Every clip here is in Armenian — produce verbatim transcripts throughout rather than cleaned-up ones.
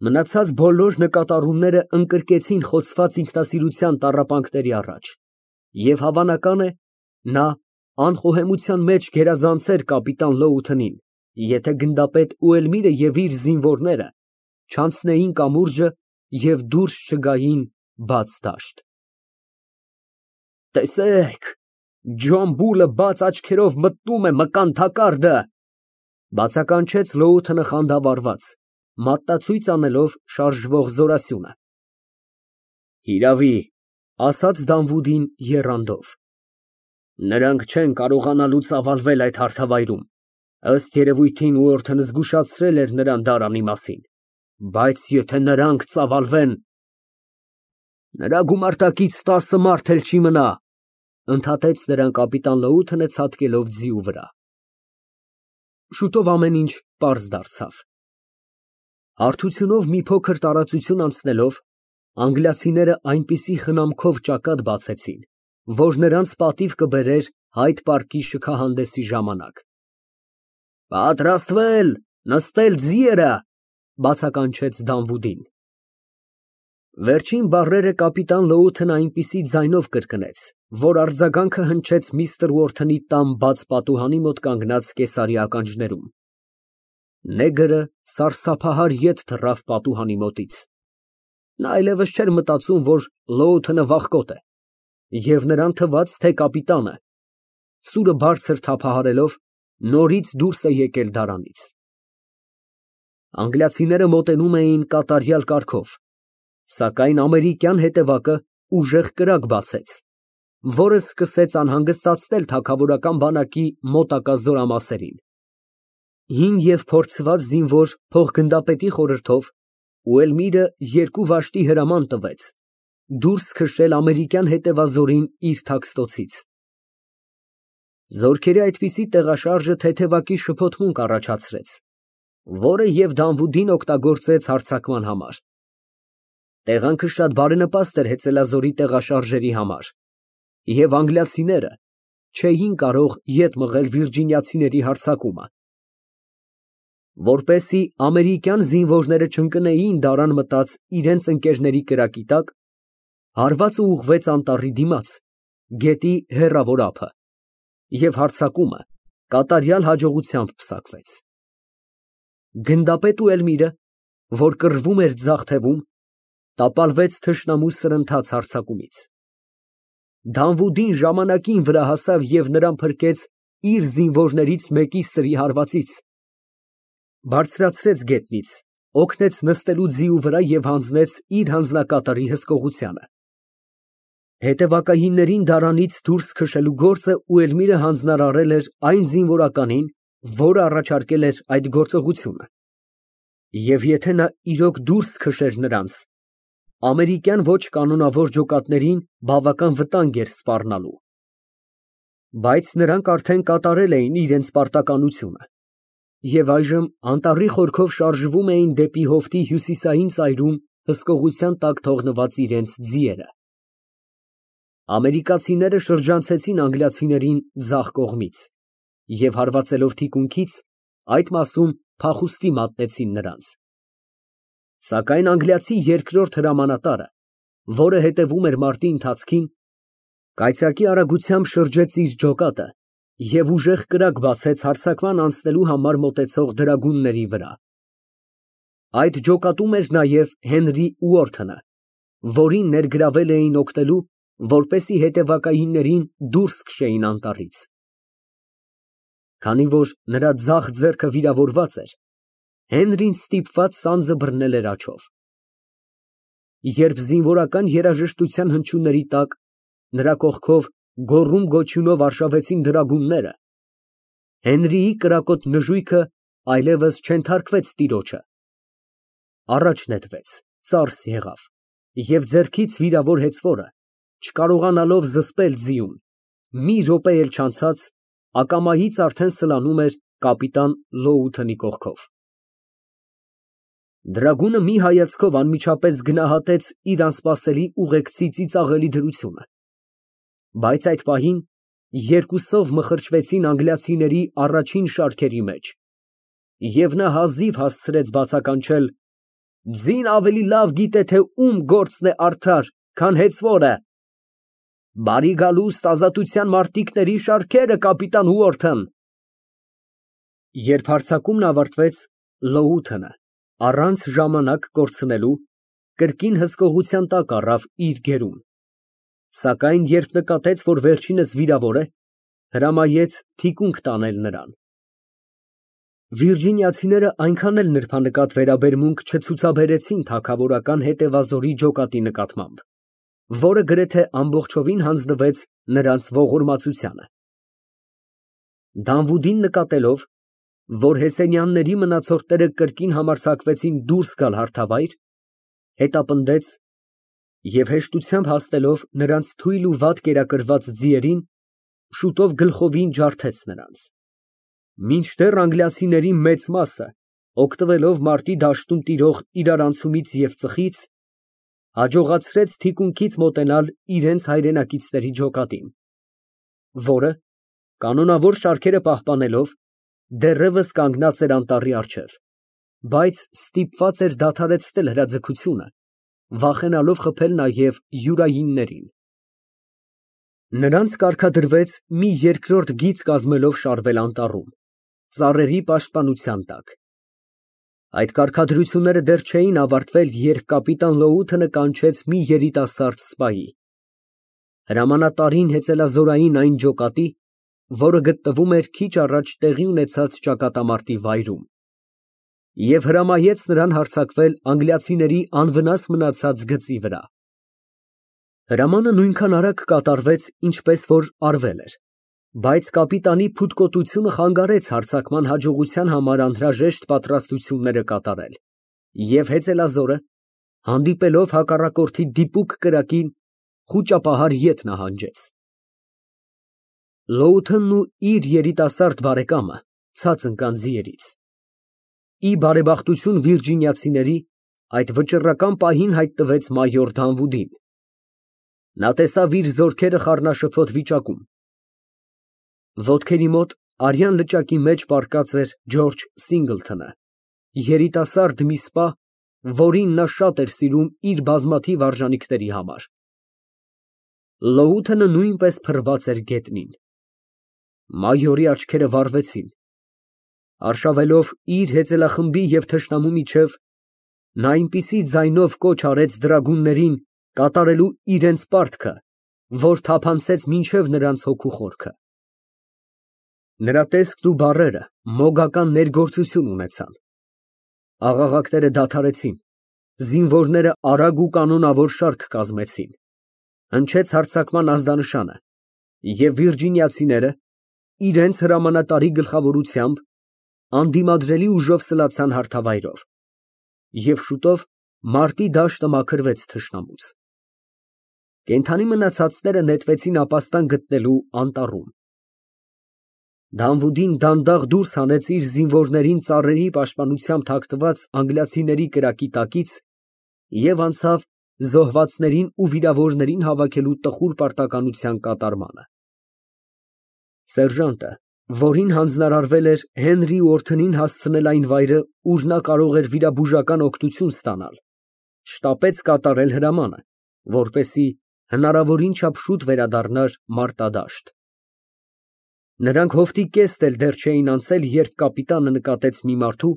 Մնացած բոլոր նկատառումները ընկրկեցին խոցված ինքնասիրության տառապանքների առաջ, և հավանական է, նա անխոհեմության մեջ գերազանցեր կապիտան Լոութենին, եթե գնդապետ Ուելմիրը և իր զինվորները չանցնեին կամուրջը և դուրս չգային բաց դաշտ։ «Տեսեք, Ջոն Բուլը բաց աչքերով մտնում է մկան թակարդը», ֊ բացականչեց Լոութենը խանդավառված, մատնացույց անելով շարժվող զորասյունը։ ֊ Հիրավի, ֊ ասաց Դանվուդին եռանդով, ֊ նրանք չեն կարողանալու ծավալվել այդ հարթավայրում, ըստ երևույթին Ուորթնը զգուշացրել էր նրան դարանի մասին, բայց եթե նրանք ծավալվեն… ֊ Նրա գումարտակից տասը մարդ էլ չի մնա, ֊ ընդհատեց նրան կապիտան Լոութենը ցատկելով ձիու վրա։ Շուտով ամեն ինչ պարզ դարձավ։ Հարթությունով մի փոքր տարածություն անցնելով, անգլիացիները այնպիսի խնամքով ճակատ բացեցին, որ նրանց պատիվ կբերեր Հայդ պարկի շքահանդեսի ժամանակ։ ֊ Պատրաստվել, նստել ձիերը, ֊ բացականչեց Դանվուդին։ Վերջին բառերը կապիտան Լոութենը այնպիսի ձայնով կրկնեց, որ արձագանքը հնչեց միստր Ուորթնի տան բաց պատուհանի մոտ կանգնած կեսարի ականջներում։ Նեգրը սարսափահար ետ թռավ պատուհանի մոտից։ Նա այլևս չէր մտածում, որ Լոութենը վախկոտ է, և նրան թվաց, թե կապիտանը, սուրը բարձր թափահարելով, նորից դուրս է եկել դարանից։ Անգլիացիները մոտենում էին կատարյալ կարգով, սակայն ամերիկյան հետևակը ուժեղ կրակ բացեց, որը սկսեց անհանգստացնել թագավորական բանակի մոտակա զորամասերին։ Հին և փորձված զինվոր փոխգնդապետի խորհրդով Ուելմիրը երկու վաշտի հրաման տվեց դուրս քշել ամերիկյան հետևազորին իր թաքստոցից։ Զորքերի այդպիսի տեղաշարժը թեթևակի շփոթմունք առաջացրեց, որը և Դանվուդին օգտագործեց հարձակման համար։ Տեղանքը շատ բարենպաստ էր հեծելազորի տեղաշարժերի համար, և անգլիացիները չէին կարող ետ մղել վիրջինիացիների հարձակումը։ Որպեսզի ամերիկյան զինվորները չընկնեին դարան մտած իրենց ընկերների կրակի տակ, հարվածը ուղղվեց անտառի դիմաց, գետի հեռավոր ափը, և հարձակումը կատարյալ հաջողությամբ պսակվեց։ Գնդապետ Ուելմիրը, որ կռվում էր ձախ թևում, տապալվեց թշնամու սրընթաց հարձակումից։ Դանվուդին ժամանակին վրա հասավ և նրան փրկեց իր զինվորներից մեկի սրի հարվածից, բարձրացրեց գետնից, օգնեց նստելու ձիու վրա և հանձնեց իր հանձնակատարի հսկողությանը։ Հետևակայիններին դարանից դուրս քշելու գործը Ուելմիրը հանձնարարել էր այն զինվորականին, որը առաջարկել էր այդ գործողությունը, և եթե նա իրոք դուրս քշեր նրանց, ամերիկյան ոչ կանոնավոր ջոկատներին բավական վտանգ էր սպառնալու։ Բայց նրանք արդեն կատարել էին իրենց պարտականությունը և այժմ անտառի խորքով շարժվում էին դեպի հովտի հյուսիսային ծայրում հսկողության տակ թողնված իրենց ձիերը։ Ամերիկացիները շրջանցեցին անգլիացիներին ձախ կողմից և հարվածելով թիկունքից, այդ մասում փախուստի մատնեցին նրանց։ Սակայն անգլիացի երկրորդ հրամանատարը, որը հետևում էր մարտի ընթացքին, կայծակի արագությամբ շրջեց իր ջոկատը և ուժեղ կրակ բացեց հարձակման անցնելու համար մոտեցող դրագունների վրա։ Այդ ջոկատում էր նաև Հենրի Ուորթնը, որին ներգրավել էին օգնելու, որպեսզի հետևակայիններին դուրս քշեին անտառից։ Քանի որ նրա ձախ ձեռքը վիրավորված էր, Հենրին ստիպված սանձը բռնել էր աջով։ Երբ զինվորական երաժշտության հնչյունների տակ նրա կողքով գոռում֊գոչյունով արշավեցին դրագունները, Հենրիի կրակոտ նժույգը այլևս չենթարկվեց տիրոջը, առաջ նետվեց, ծարս եղավ և ձեռքից վիրավոր հեծվորը, չկարողանալով զսպել ձիուն, մի րոպե էլ չանցած ակամայից արդեն սլանում էր կապիտան Լոութենի կողքով։ Դրագունը մի հայացքով անմիջապես գնահատեց իր անսպասելի ուղեկցի ծիծաղելի դրությունը, բայց այդ պահին երկուսով մխրճվեցին անգլիացիների առաջին շարքերի մեջ, և նա հազիվ հասցրեց բացականչել. Ձին ավելի լավ գիտե, թե ում գործն է արդար, քան հեծվորը։ Բարի գալուստ ազատության մարտիկների շարքերը, կապիտան Ուորթն։ Երբ հարձակումն ավարտվեց, Լոութը առանց ժամանակ կորցնելու կրկին հսկողության տակ առավ իր գերուն, սակայն երբ նկատեց, որ վերջինս վիրավոր է, հրամայեց թիկունք տանել նրան։ Վիրջինիացիները այնքան էլ նրբանկատ վերաբերմունք չցուցաբերեցին թագավորական հետևազորի ջոկատի նկատմամբ, որը գրեթե ամբողջովին հանձնվեց նրանց ողորմածությանը։ Դանվուդին նկատելով, որ Հեսենյանների մնացորդները կրկին համարձակվեցին դուրս գալ հարթավայր, հետապնդեց և հեշտությամբ հասնելով նրանց թույլ ու վատ կերակրված ձիերին, շուտով գլխովին ջարդեց նրանց, մինչդեռ անգլիացիների մեծ մասը, օգտվելով մարտի դաշտում տիրող իրարանցումից և ծխից, հաջողացրեց թիկունքից մոտենալ իրենց հայրենակիցների ջոկատին, որը, կանոնավոր շարքերը պահպանելով, դեռևս կանգնած էր անտառի առջև, բայց ստիպված էր դադարեցնել հրաձգությունը, վախենալով խփել նաև յուրայիններին։ Նրանց կարգադրվեց մի երկրորդ գիծ կազմելով շարվել անտառում, ծառերի պաշտպանության տակ։ Այդ կարգադրությունները դեռ չէին ավարտվել, երբ կապիտան Լոութը կանչեց մի երիտասարդ սպայի։ Հրամանատարին հեծելազորային այն ջոկատի, որը գտնվում էր քիչ առաջ տեղի ունեցած ճակատամարտի վայրում, և հրամայեց նրան հարձակվել անգլիացիների անվնաս մնացած գծի վրա։ Հրամանը նույնքան արագ կատարվեց, ինչպես որ արվել էր, բայց կապիտանի փութկոտությունը խանգարեց հարձակման հաջողության համար անհրաժեշտ պատրաստությունները կատարել, և հեծելազորը, հանդիպելով հակառակորդի դիպուկ կրակին, խուճապահար ետ նահանջեց։ Լոութընն ու իր երիտասարդ բարեկամը ցած ընկան ձիերից։ Ի բարեբախտություն վիրջինիացիների, այդ վճռական պահին հայտնվեց մայոր Դանվուդին։ Նա տեսավ իր զորքերը խառնաշփոթ վիճակում։ Ոտքերի մոտ արյան լճակի մեջ պառկած էր Ջորջ Սինգլթոնը, երիտասարդ մի սպա, որին նա շատ էր սիրում իր բազմաթիվ արժանիքների համար։ Լոութը նույնպես փռված էր գետնին։ Մայորի աչքերը վառվեցին։ Արշավելով իր հեծելախմբի և թշնամու միջև, նա այնպիսի ձայնով կոչ արեց դրագուններին կատարելու իրենց պարտքը, որ թափանցեց մինչև նրանց հոգու խորքը։ Նրա տեսքն ու բառերը մոգական ներգործություն ունեցան։ Աղաղակները դադարեցին, զինվորները արագ ու կանոնավոր շարք կազմեցին, հնչեց հարձակման ազդանշանը, և վիրջինիացիները, իրենց հրամանատարի գլխավորությամբ, անդիմադրելի ուժով սլացան հարթավայրով, և շուտով մարտի դաշտը մաքրվեց թշնամուց։ Կենդանի մնացածները նետվեցին ապաստան գտնելու անտառում։ Դանվուդին դանդաղ դուրս հանեց իր զինվորներին ծառերի պաշտպանությամբ թաքնված անգլիացիների կրակի տակից և անցավ զոհվածներին ու վիրավորներին հավաքելու տխուր պարտականության կատարմանը։ Սերժանտը, որին հանձնարարվել էր Հենրի Ուորթնին հասցնել այն վայրը, ուր նա կարող էր վիրաբուժական օգնություն ստանալ, շտապեց կատարել հրամանը, որպեսզի հնարավորին չափ շուտ վերադառնար մարտադաշտ։ Նրանք հովտի կեստ էլ դեռ չէին անցել, երբ կապիտանը նկատեց մի մարդու,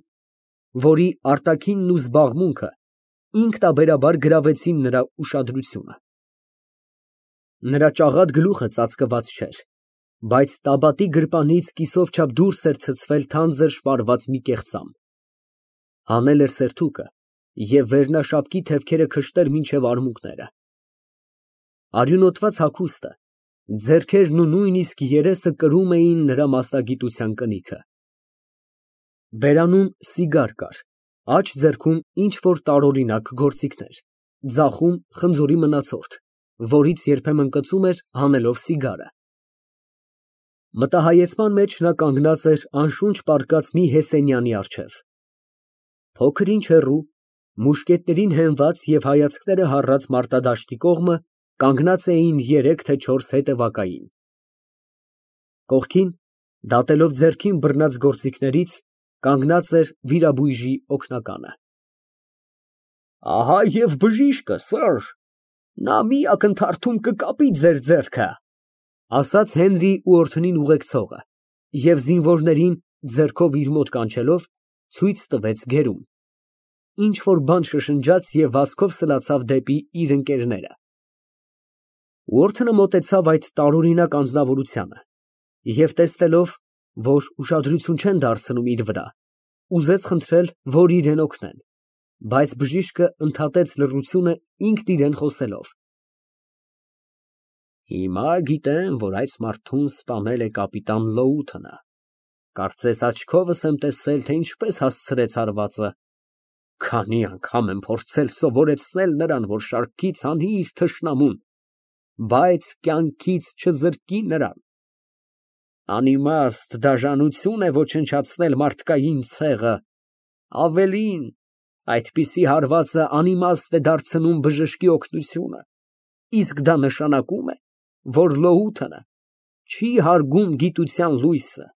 որի արտաքինն ու զբաղմունքը ինքնաբերաբար գրավեցին նրա ուշադրությունը։ Նրա ճաղատ գլուխը ծածկված չէր, բայց տաբատի գրպանից կիսով չափ դուրս էր ցցվել թանձր շպարված մի կեղծամ, հանել էր սերթուկը և վերնաշապկի թևքերը քշտել մինչև արմունկները։ Արյունոտված հագուստը, ձեռքերն ու նույնիսկ երեսը կրում էին նրա մասնագիտության կնիքը։ Բերանում սիգար կար, աջ ձեռքում ինչ֊որ տարօրինակ գործիքներ, ձախում խնձորի մնացորդ, որից երբեմն կծում էր, հանելով սիգարը։ Մտահայեցման մեջ նա կանգնած էր անշունչ պառկած մի Հեսենյանի առջև։ Փոքր ինչ հեռու, մուշկետներին հենված և հայացքները հառած մարտադաշտի կողմը կանգնած էին երեք, թե չորս հետևակային։ Կողքին, դատելով ձեռքին բռնած գործիքներից, կանգնած էր վիրաբույժի օգնականը։ Ահա և բժիշկը, սըր, նա մի ակնթարթում կկապի ձեր ձեռքը, ասաց Հենրի ուորդնին ուղեկցողը և զինվորներին ձեռքով իր մոտ կանչելով, ցույց տվեց գերում, ինչ֊որ բան շշնջաց և վազքով սլացավ դեպի իր ընկերները։ Ուորդնը մոտեցավ այդ տարօրինակ անձնավորությանը և տեսնելով, որ ուշադրություն չեն դարձնում իր վրա, ուզեց խնդրել, որ իրան օգնեն, բայց բժիշկը ընդհատեց լռությունը ինքն իրան խոսելով. Հիմա գիտեմ, որ այս մարդուն սպանել է կապիտան Լոութոնը, կարծես աչքովս եմ տեսել, թե ինչպես հասցրեց հարվածը, քանի անգամ եմ փորձել սովորեցնել նրան, որ շարքից հանի իր թշնամուն, բայց կյանքից չզրկի նրան։ Անիմաստ դաժանություն է ոչնչացնել մարդկային ցեղը, ավելին, այդպիսի հարվածը անիմաստ է դարձնում բժշկի օգնությունը, իսկ դա նշանակում է, որ Լոութոնը չի հարգում գիտության լույսը։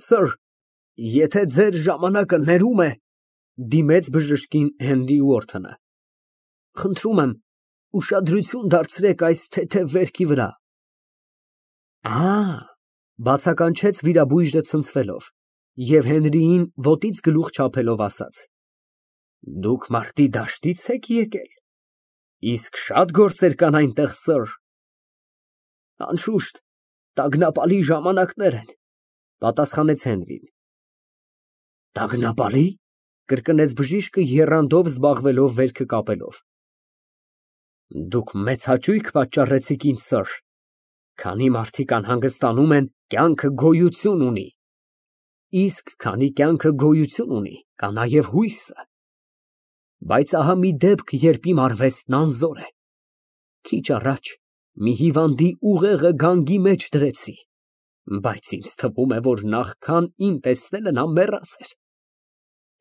Սըր, եթե ձեր ժամանակը ներում է, դիմեց բժշկին Հենրի Ուորթոնը, խնդրում եմ, ուշադրություն դարձրեք այս թեթև վերքի վրա։ Ա, բացականչեց վիրաբույժը ցնցվելով և Հենրիին ոտից գլուխ չափելով ասաց. Դուք մարտի դաշտի՞ց եք եկել, իսկ շատ գործեր կան այնտեղ, սըր։ Անշուշտ, տագնապալի ժամանակներ են, պատասխանեց Հենրին։ Տագնապալի՞, կրկնեց բժիշկը եռանդով զբաղվելով վերքը կապելով։ Դուք մեծ հաճույք պատճառեցիք ինձ, սըր, քանի մարդիկ անհանգստանում են, կյանքը գոյություն ունի, իսկ քանի կյանքը գոյություն ունի, կա նաև հույսը, բայց ահա մի դեպք, երբ իմ արվեստն անզոր է, քիչ առաջ մի հիվանդի ուղեղը գանգի մեջ դրեցի, բայց ինձ թվում է, որ նախքան իմ տեսնելը նա մեռած էր։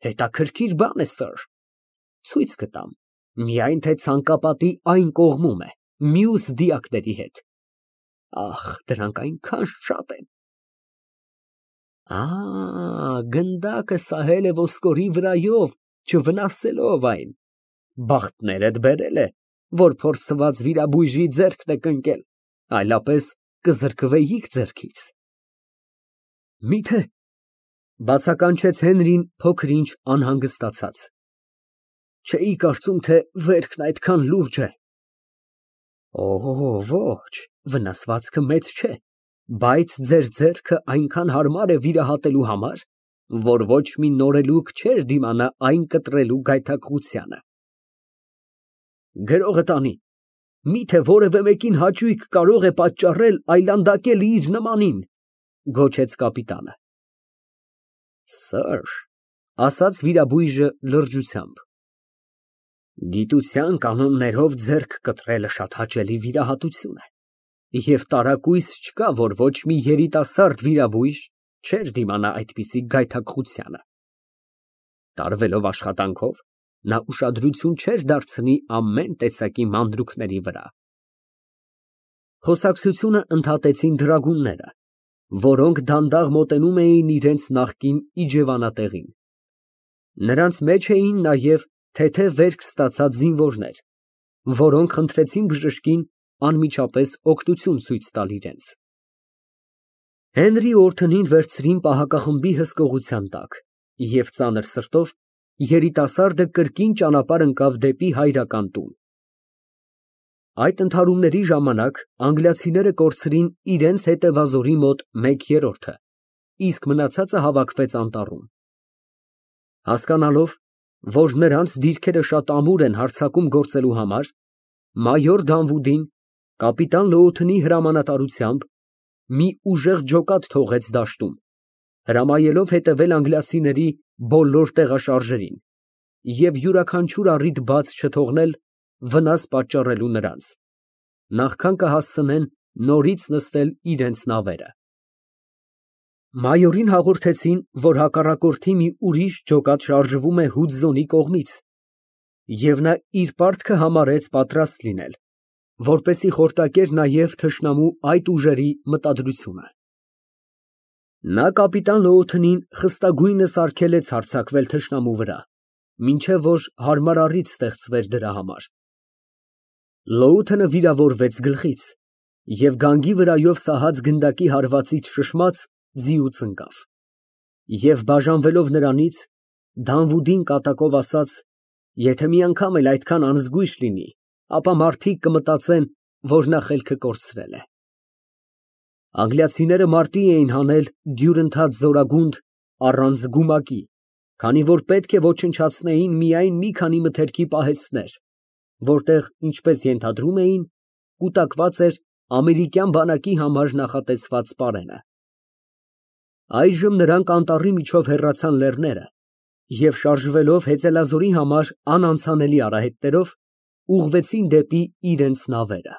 Հետաքրքիր բան է, սըր, ցույց կտամ, միայն թե ցանկապատի այն կողմում է, մյուս դիակների հետ։ Ախ, դրանք այնքան շատ են։ Ա, գնդակը սահել է ոսկորի վրայով, չվնասելով այն, բախտներդ բերել է, որ փորձված վիրաբույժի ձեռքն եք ընկել, այլապես կզրկվեիք ձեռքից։ Մի՞թե, բացականչեց Հենրին փոքր-ինչ անհանգստացած, չէի կարծում, թե վերքն այդքան լուրջ է։ Օ, ոչ, վնասվածքը մեծ չէ, բայց ձեր ձեռքը այնքան հարմար է վիրահատելու համար, որ ոչ մի նորելուկ չէր դիմանա այն կտրելու գայթակղությանը։ Գրողը տանի, միթե որևէ մեկին հաճույք կարող է պատճառել այլանդակել իր նմանին, գոչեց կապիտանը։ Սըր, ասաց վիրաբույժը լրջությամբ, գիտության կանոններով ձեռք կտրելը շատ հաճելի վիրահատություն է, և տարակույս չկա, որ ոչ մի երիտասարդ վիրաբույժ չէր դիմանա այդպիսի գայթակղությանը։ Տարվելով աշխատանքով, նա ուշադրություն չէր դարձնի ամեն տեսակի մանրուքների վրա։ Խոսակցությունը ընդհատեցին դրագունները, որոնք դանդաղ մոտենում էին իրենց նախկին իջևանատեղին։ Նրանց մեջ էին նաև թեթև վերք ստացած զինվորներ, որոնք խնդրեցին բժշկին անմիջապես օգնություն ցույց տալ իրենց։ Հենրի Օրթոնին վերցրին պահակախմբի հսկողության տակ, և ծանր սրտով երիտասարդը կրկին ճանապարհ ընկավ դեպի հայրական տուն։ Այդ ընդհարումների ժամանակ անգլիացիները կորցրին իրենց հետևազորի մոտ մեկ երրորդը, իսկ մնացածը հավաքվեց անտառում։ Հասկանալով, որ նրանց դիրքերը շատ ամուր են հարձակում գործելու համար, մայոր Դանվուդին, կապիտան Լոութոնի հրամանատարությամբ, մի ուժեղ ջոկատ թողեց դաշտում, հրամայելով հետևել անգլիացիների բոլոր տեղաշարժերին և յուրաքանչյուր առիթ բաց չթողնել վնաս պատճառելու նրանց, նախքան կհասցնեն նորից նստել իրենց նավերը։ Մայորին հաղորդեցին, որ հակառակորդի մի ուրիշ ջոկատ շարժվում է Հուդզոնի կողմից, և նա իր պարտքը համարեց պատրաստ լինել, որպեսզի խորտակեր նաև թշնամու այդ ուժերի մտադրությունը։ Նա կապիտան Լոութոնին խստագույնս արգելեց հարձակվել թշնամու վրա մինչև որ հարմար առիթ ստեղծվեր դրա համար։ Լոութը նվիրավորվեց գլխից և գանգի վրայով սահած գնդակի հարվածից շշմաց, ձիուց ընկավ և, բաժանվելով նրանից, Դանվուդին կատակով ասաց. «Եթե մի անգամ էլ այդքան անզգույշ լինի, ապա մարդիկ կմտածեն, որ նա խելքը կորցրել է»։ Անգլիացիները մարտի էին հանել դյուրընթաց զորագունդ առանց գումակի, քանի որ պետք է ոչնչացնեին միայն մի քանի մթերքի պահեստներ, որտեղ, ինչպես ենթադրում էին, կուտակված էր ամերիկյան բանակի համար նախատեսված պարենը։ Այժմ նրանք անտառի միջով հեռացան լեռները և, շարժվելով հեծելազորի համար անանցանելի արահետներով, ուղղվեցին դեպի իրենց նավերը։